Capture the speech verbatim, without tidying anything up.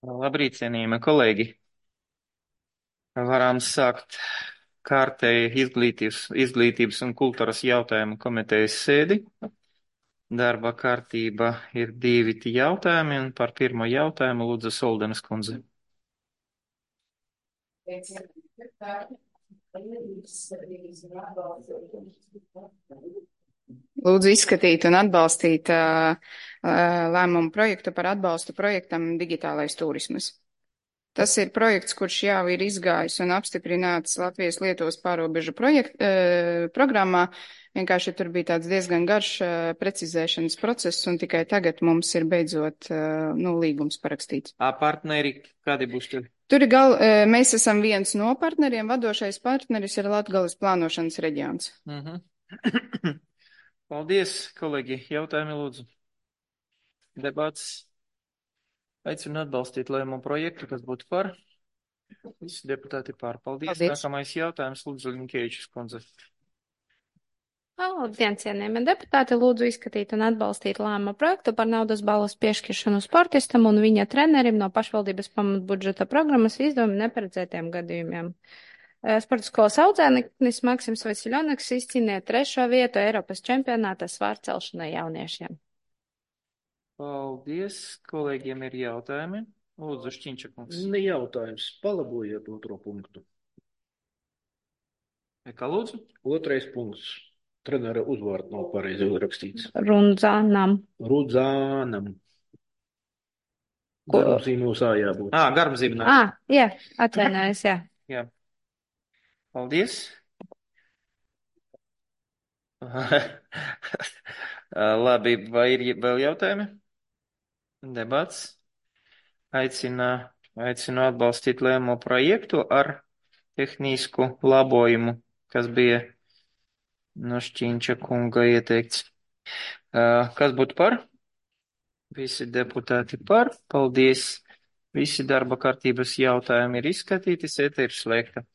Labrīt, cienījamie kolēģi! Varam sākt kārtēji izglītības, izglītības un kultūras jautājumu komitejas sēdi. Darba kārtība ir divi jautājumi, un par pirmo jautājumu lūdzu Soldenes kundze. Lūdzu izskatīt un atbalstīt uh, uh, lēmumu projektu par atbalstu projektam Digitālais turismas. Tas ir projekts, kurš jau ir izgājis un apstiprināts Latvijas Lietuvas pārobežu projekt, uh, programmā. Vienkārši tur bija tāds diezgan garš uh, precizēšanas process, un tikai tagad mums ir beidzot uh, nu, līgums parakstīts. A partneri, kādi būs tur? Tur ir gal, uh, mēs esam viens no partneriem, vadošais partneris ir Latgales plānošanas reģions. Mhm. Paldies, kolēģi. Jautājumi lūdzu. Debats. Aicinu atbalstīt lēmumu projektu, kas būtu par. Visi deputāti par. Paldies. Paldies. Nākamais jautājums lūdzu Linkēvičs kundze. Labdien, cienījamie deputāti, lūdzu izskatīt un atbalstīt lēmumu projektu par naudas balvas piešķiršanu sportistam un viņa trenerim no pašvaldības pamatbudžeta programmas izdevuma neparedzētiem gadījumiem. Sporta skolas audzēknis Maksims Vasiljonaks izcīnīja trešo vietu Eiropas čempionāta svārcelšanai jauniešiem. Paldies. Kolēģiem ir jautājumi. Lūdzu, Šķiņčakungs. Ne jautājums. Palabojiet otro punktu. Kā lūdzu? Otrais punkts. Trenera uzvārds nav pareizi rakstīts. Rundzānam. Rudzānam. Ko? Garumzīmos ā jābūt. Ā, garumzīmē. Ā, jā, atvainojos, jā. Jā. Paldies. Labi, vai ir vēl jautājumi? Debats. Aicina, aicinu atbalstīt lēmumu projektu ar tehnisku labojumu, kas bija no Šķiņča kunga ieteikts. Kas būtu par? Visi deputāti par. Paldies. Visi darba kārtības jautājumi ir izskatīti, sēde ir slēgta.